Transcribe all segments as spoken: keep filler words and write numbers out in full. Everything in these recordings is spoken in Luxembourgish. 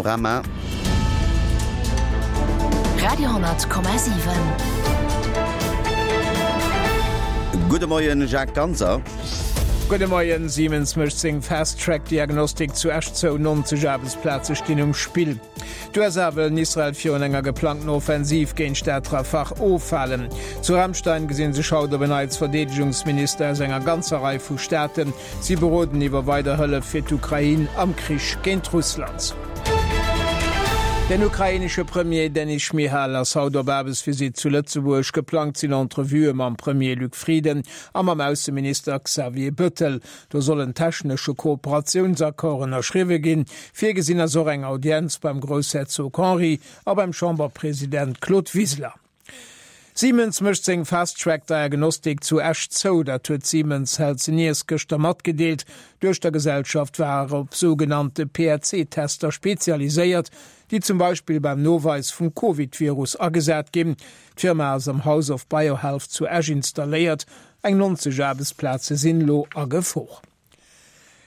Panorama. Radio hundert Komma siwen. Gudde Moien, Jacques Ganser. Gudde Moien. Siemens mécht seng Fast-Track-Diagnostik zu Esch zou, nonzeg Aarbechtsplaze stinn um Spill. D'USA wëllen Israel virun enger geplangten Offensiv géint d'Stad Rafah ofhalen. Zu Ramstein gesinn sech haut op en Neits Verdeedegungsminister aus enger ganzer Rei vu Staaten. Si beroden iwwer weider Hëllef fir d'Ukrain am Krich géint Russland. Den ukrainesche Premier Denys Schmyhal ass haut op Aarbechtsvisitt zu Lëtzebuerg. Geplangt sinn Entrevuë mam Premier Luc Frieden a mam Ausseminister Xavier Bettel. Do soll en technesche Kooperatiounsaccord ënnerschriwwe ginn. Virgesinn ass och eng Audienz beim Groussherzog Henri a beim Chamberpresident Claude Wiseler. Siemens mécht seng Fast-Track-Diagnostik zu Esch zou. Dat huet Siemens Healthineers gëschter matgedeelt. D'Duechtergesellschaft war op sougenannte P R C-Tester spezialiséiert, déi zum Beispill beim Noweis vum Covid-Virus agesat ginn. D'Firma ass am House of Biohealth zu Esch installéiert. Eng nonzeg Aarbechtsplaze sinn elo a Gefor.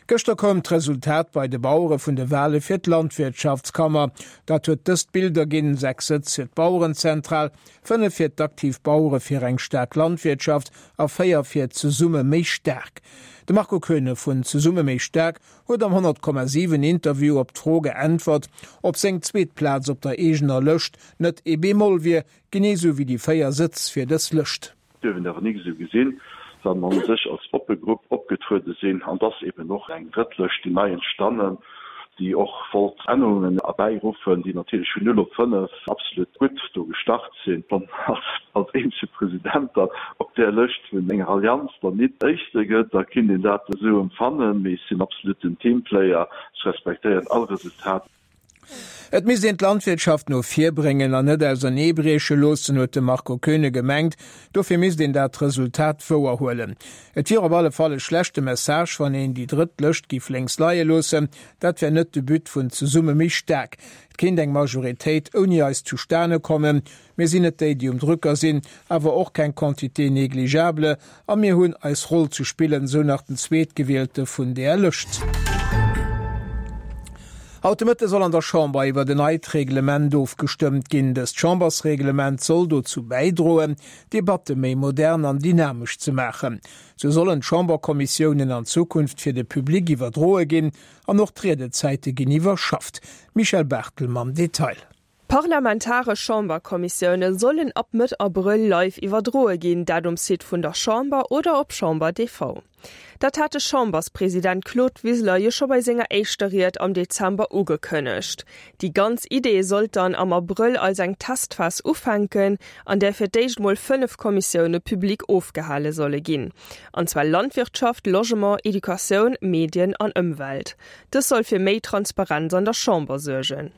Gëschter koum d'Resultat bei de Bauere vun de Wale fir d'Landwirtschaftskammer. Dat huet dëst Bild erginn, sechs Sëtz fir d'Bauerenzentral, fënnef fir d'Aktiv Bauere fir eng staark Landwirtschaft a véier fir Zesumme méi staark. De Marco Koeune vun Zesumme méi staark huet am honnert Komma siwen Interview op d'Fro geäntwert, ob seng zweet Plaz op der eegener Lëscht net ee Bémol wier, genee sou wéi déi véier Sëtz fir dës Lëscht. Dierf een awer nik esou gesinn, well mer u sech als oppe Grupp opgetruede sinn an et ass eben och eng drëtt Lëscht, déi nei entstannen, déi och wollt Ännerungen erbäiruffen, déi natierlech vun null op fënnef absolut gutt do gestart sinn. Wann als eenzege President dann op där Lëscht vun enger Allianz dann nit Éischte gëtt, da kinnt een dat esou empfannen, mee ech sinn absolut en Teamplayer, ech respektéieren all Resultat. Et misst een d'Landwirtschaft no vir bréngen an net auserneebrieche loossen, huet de Marco Koeune gemengt. Dofir misst een dat Resultat wouerhuelen. Et wier op alle Fall e schlechte Message, wann een déi drëtt Lëscht géif lénks leie loossen. Dat wär net de But vun Zesumme méi staark. Et kéint eng Majoritéit ouni eis zustane kommen. Mir sinn net déi, déi um Drücker sinn, awer och keng Quantité négligeable a mir hunn eis Roll ze spillen, sou nach den Zweetgewielte vun där Lëscht. Haut de Mëtte soll an der Chamber iwwer en neit Reglement ofgestëmmt ginn. Dëst Chambersreglement soll dozou bäidroen, d'Debatte méi modern an dynamesch ze maachen. Sou sollen d'Chamberkommissiounen an Zukunft fir de Public iwwerdroe ginn an och d'Riedezäite ginn iwwerschafft. Michèle Barthel mam Detail. Parlamentaresch Chamberkommissioune sollen ab Mëtt Abrëll live iwwerdroe ginn, dat um Site vun der Chamber oder op Chamber T V. Dat hat de Chamberspresident Claude Wiseler jo scho bei senger éischter Ried am Dezember ugekënnegt. Déi ganz Idee sollt dann am Abrëll als eng Testphas ufänken, an där fir d'éischt mol fënnef Kommissioune public ofgehale solle ginn. An zwar Landwirtschaft, Logement, Educatioun, Medien an Ëmwelt. Dës soll fir méi Transparenz an der Chamber suergen.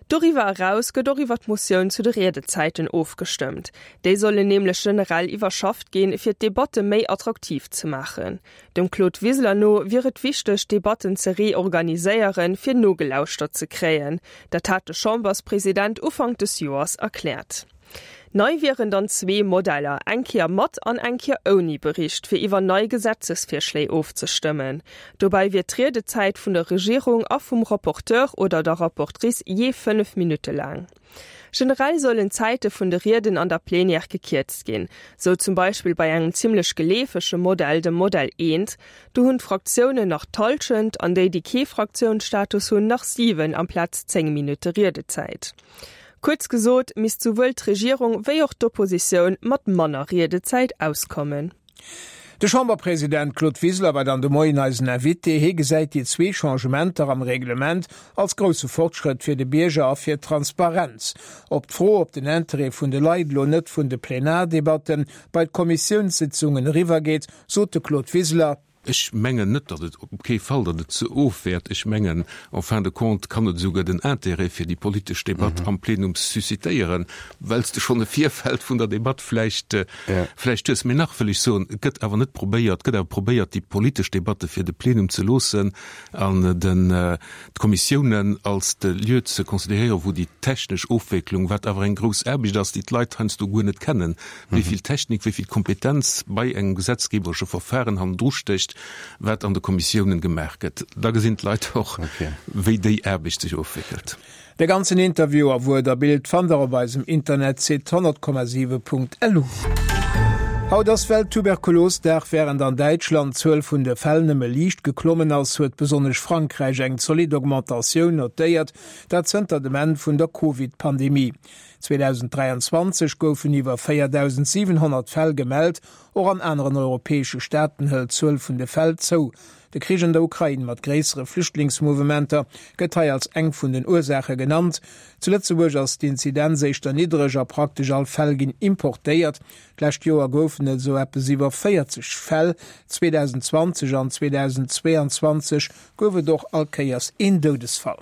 Doriwwer eraus gëtt och iwwer d'Motioun zu de Riedezäiten ofgestëmmt. Déi sollen nämlech generell iwwerschafft ginn, fir d'Debatte méi attraktiv ze maachen. Dem Claude Wiseler no wier et wichteg, Debatten ze reorganiséieren, fir nogelauschtert ze kréien. Dat hat de Chamberspresident Ufank des Joers erkläert. Nei wieren dann zwee Modeller, eng Kéier mat an eng Kéier ouni Bericht, fir iwwer nei Gesetzesvirschléi ofzestëmmen. Dobäi wier d'Riedezäit vun der Regierung a vum Rapporteur oder der Rapportrice jee fënnef Minutte laang. Generell sollen d'Zäite vun de Rieden an der Plenière gekierzt ginn, sou zum Beispill bei engem zimmlech geleefege Modell, dem Modell eent, do hunn d'Fraktiounen nach d'Hallschent an déi, déi kee Fraktiounsstatus hunn, nach siwen amplaz zéng Minutte Riedezäit. Kuerz gesot misst souwuel d'Regierung wéi och d'Oppositioun mat manner Riedezäit auskommen. De Chamberpresident Claude Wiseler war dann de Moien eisen Invité. Hie gesäit déi zwee Changementer am Reglement als grousse Fortschrëtt fir de Bierger a fir d'Transparenz. Op d'Fro, ob den Interêt vun de Leit elo net vun de Plenardebatte bei d'Kommissiounssitzungen eriwwergeet, sot de Claude Wiseler: Ech mengen net, datt et, op kee Fall, datt et ze ofwäert. Ech mengen, en fin de compte kann et esouguer den Intérêt fir déi politesch Debatt am Plenum suscitéieren, well s de schonn e Virfeld vun der Debatt vläicht, vläicht hues. Mee nach wëll ech soen, et gëtt awer net probéiert, et gëtt awer probéiert, déi politesch Debatte fir de Plenum ze loossen an den, d'Kommissiounen als de Lieu ze considéréieren, wou déi technesch Ofwécklung, wat awer eng grouss Aarbecht ass, déi d'Leit heiansdo guer net kennen, wéi vill Technik, wéi vill Kompetenz bei engem gesetzgeberesche Verfahren hannendru stécht, wat an de Kommissiounen gemaach gëtt. Da gesinn d'Leit och, wéi déi Aarbecht sech ofwéckelt. De ganzen Interview a Wuert a Bild fannt der op eisem Internetsite honnert Komma siwe Punkt lu. Haut ass Welttuberkulosdag. Wärend an Däitschland d'Zuel vun de Fäll nëmme liicht geklommen ass, huet besonnesch Frankräich eng zolidd Augmentatioun notéiert, dat zënter dem Enn vun der Covid-Pandemie. zweedausenddräianzwanzeg goufen iwwer véierdausendsiwenhonnert Fäll gemellt. Och an aneren europäesche Staaten hëlt d'Zuel vun de Fäll zou. De Krich an der Ukrain mat gréissere Flüchtlingsmouvementer gëtt hei als eng vun den Ursaache genannt. Zu Lëtzebuerg ass d'Inzidenz éischter niddereg a praktesch all Fäll ginn importéiert. D'lescht Joer goufen et esou eppes iwwer véierzeg Fäll, zweedausendzwanzeg an zweedausendzweeanzwanzeg gouf et och all Kéiers een Doudesfall.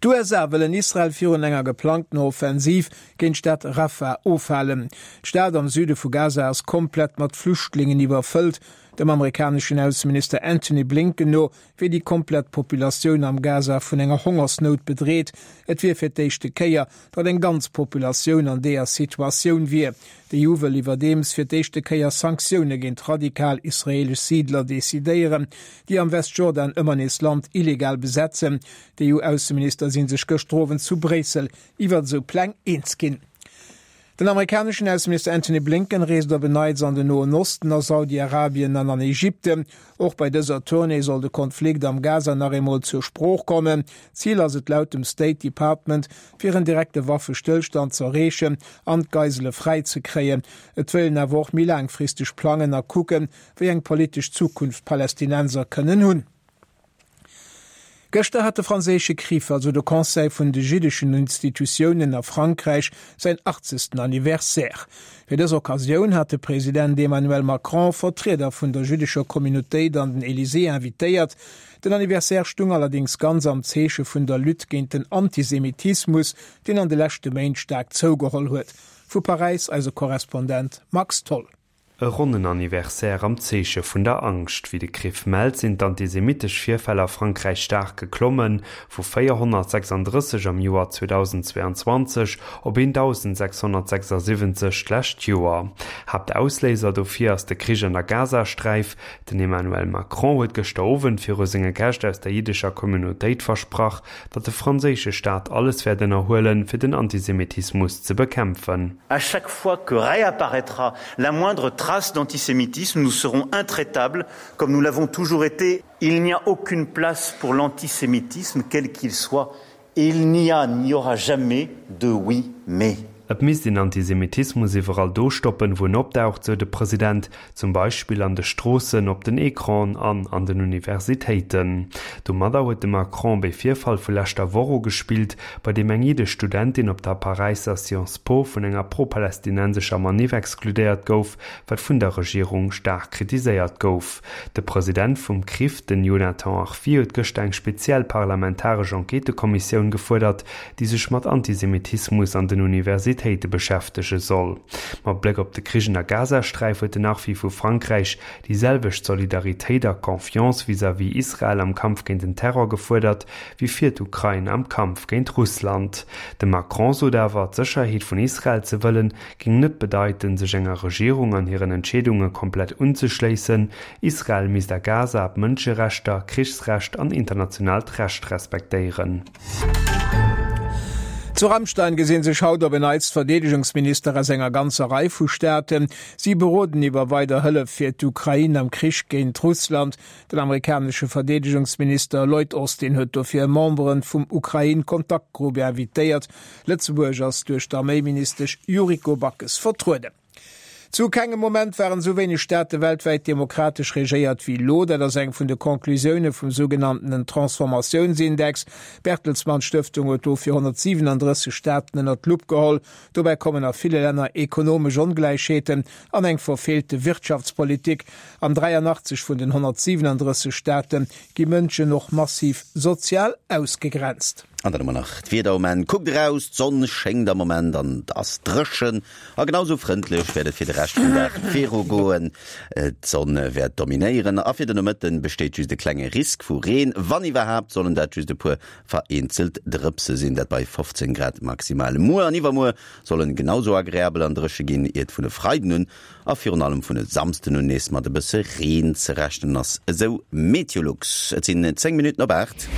D'USA wëllen Israel virun enger geplangtener Offensiv géint d'Stad Rafah ofhalen. D'Stad am Süde vu Gaza ass komplett mat Flüchtlingen iwwerfëllt. Dem amerikaneschen Ausseminister Antony Blinken no wier déi komplett Populatioun am Gaza vun enger Hongersnout bedreet. Et wier fir d'éischte Kéier, datt eng ganz Populatioun an deeër Situatioun wier. D'EU wëll iwwerdeems fir d'éischte Kéier Sanktioune géint radikal israeelesch Siidler decidéieren, déi am Westjordan ëmmer nees Land illegal besetzen. D'EU-Ausseminister si sech gëschter Owend zu Bréissel iwwer esou Pläng eens ginn. Den amerikaneschen Ausseminister Antony Blinken reest op en Neits an den Noen Osten, a Saudi-Arabien an an Ägypten. Och bei dëser Tournée soll de Konflikt am Gaza nach eemol zur Sprooch kommen. Zil ass et laut dem State Department, fir en direkte Waffestëllstand z'erreechen an d'Geisele fräi ze kréien. Et wëll een awer och méi laangfristeg plangen a kucken, wéi eng politesch Zukunft d'Palästinenser kënnen hunn. Gëschter hat de franséische CRIF, also de Conseil vun de jiddeschen Institutiounen a Frankräich, säin achtzegsten Anniversaire. Fir dës Occasioun hat de President Emmanuel Macron Vertrieder vun der jüddescher Communautéit an den Elysée invitéiert. Den Anniversaire stung allerdéngs ganz am Zeeche vun der Lutte géint den Antisemitismus, deen an de leschte Méint staark zougeholl huet. Vu Paräis eise Korrespondent Max Tholl. E ronnen Anniversaire am Zeeche vun der Angscht. Wéi de CRIF mellt, sinn d'antisemittesch Virfäll a Frankräich staark geklommen, vu véierhonnertsechsanddrësseg am Joer zweedausendzweeanzwanzeg op eentausendsechshonnertsechsasiwwenzeg d'lescht Joer. Haaptausléiser dofir ass de Krich an der Gazasträif. Den Emmanuel Macron huet gëschter Owend viru senge Gäscht aus der jiddescher Communautéit versprach, datt de franséische Staat alles wäert ënnerhuelen, fir den Antisemitismus ze bekämpfen. À chaque fois que réapparaîtra la moindre trace d'antisémitisme, nous serons intraitables, comme nous l'avons toujours été. Il n'y a aucune place pour l'antisémitisme, quel qu'il soit, et il n'y a, n'y aura jamais de oui, mais. Et misst een Antisemitismus iwwerall do stoppen, wou en opdaucht, sou de President, zum Beispill an de Stroossen, op den Ecranen an an den Universitéiten. Domadder huet de Macron op ee Virfall vu leschter Woch ugespillt, bei deem eng jiddesch Studentin op der Paräisser Sciences Po vun enger pro-palästinensescher Maniff exkludéiert gouf, wat vun der Regierung staark kritiséiert gouf. De President vum CRIF, den Jonathan Arfi, huet gëschter eng speziell parlamentaresch Enquêtëkommissioun gefuerdert, déi sech mat Antisemitismus an den Universitéite beschäftege soll. Mat Bléck op de Krich an der Gazasträif huet den Arfi vu Frankräich déi selwecht Solidaritéit a Confiance vis-à-vis Israel am Kampf géint den Terror gefuerdert, wéi fir d'Ukrain am Kampf géint Russland. De Macron sot awer, d'Sécherheet vun Israel ze wëllen, géing net bedeiten, sech enger Regierung an hiren Entscheedunge komplett unzeschléissen. Israel misst a Gaza d'Mënscherechter, Krichsrecht an internationaalt Recht respektéieren. Zu Ramstein gesinn sech haut op en Neits d'Verdeedegungsminister aus enger ganzer Rei vu Staaten. Si beroden iwwer weider Hëllef fir d'Ukrain am Krich géint Russland. Den amerikanesche Verdeedegungsminister Lloyd Austin huet dofir Membere vum Ukrain-Kontaktgrupp invitéiert. Lëtzebuerg ass duerch d'Arméiministesch Yuriko Backes vertrueden. Zu kengem Moment waren esou wéineg Staate weltwäit demokratesch regéiert wéi elo. Dat ass eng vun de Conclusioune vum sougenanntenen Transformatiounsindex. D'Bertelsmann Stëftung huet dofir honnertsiwenandrësseg Staaten ënnert d'Lupp geholl. Dobäi kommen a ville Länner ekonomesch Ongläichheeten an eng verfeelte Wirtschaftspolitik. An dräianachtzeg vun den honnertsiwenandrësseg Staate gi Mënschen och massiv sozial ausgegrenzt. An dann hu mer nach d'Wieder um Enn. Kuckt eraus, d'Sonn schéngt am Moment an et ass dréchen. A genau sou frëndlech wäert et fir de Rescht vum Dag viru goen. D'Sonn wäert dominéieren a fir de Nomëtten besteet just e klenge Risk vu Reen. Wann iwwerhaapt, sollen dat just e puer vereenzelt Drëpse sinn, dat bei fofzéng Grad maximal. Muer an iwwermuer sollen genau sou agreabel an dréche ginn, iert vun e Freiden un a virun allem vun e Samsden un nees mat e bësse Reen ze rechnen ass, esou Meteolux. Et sinn zéng Minutten op aacht.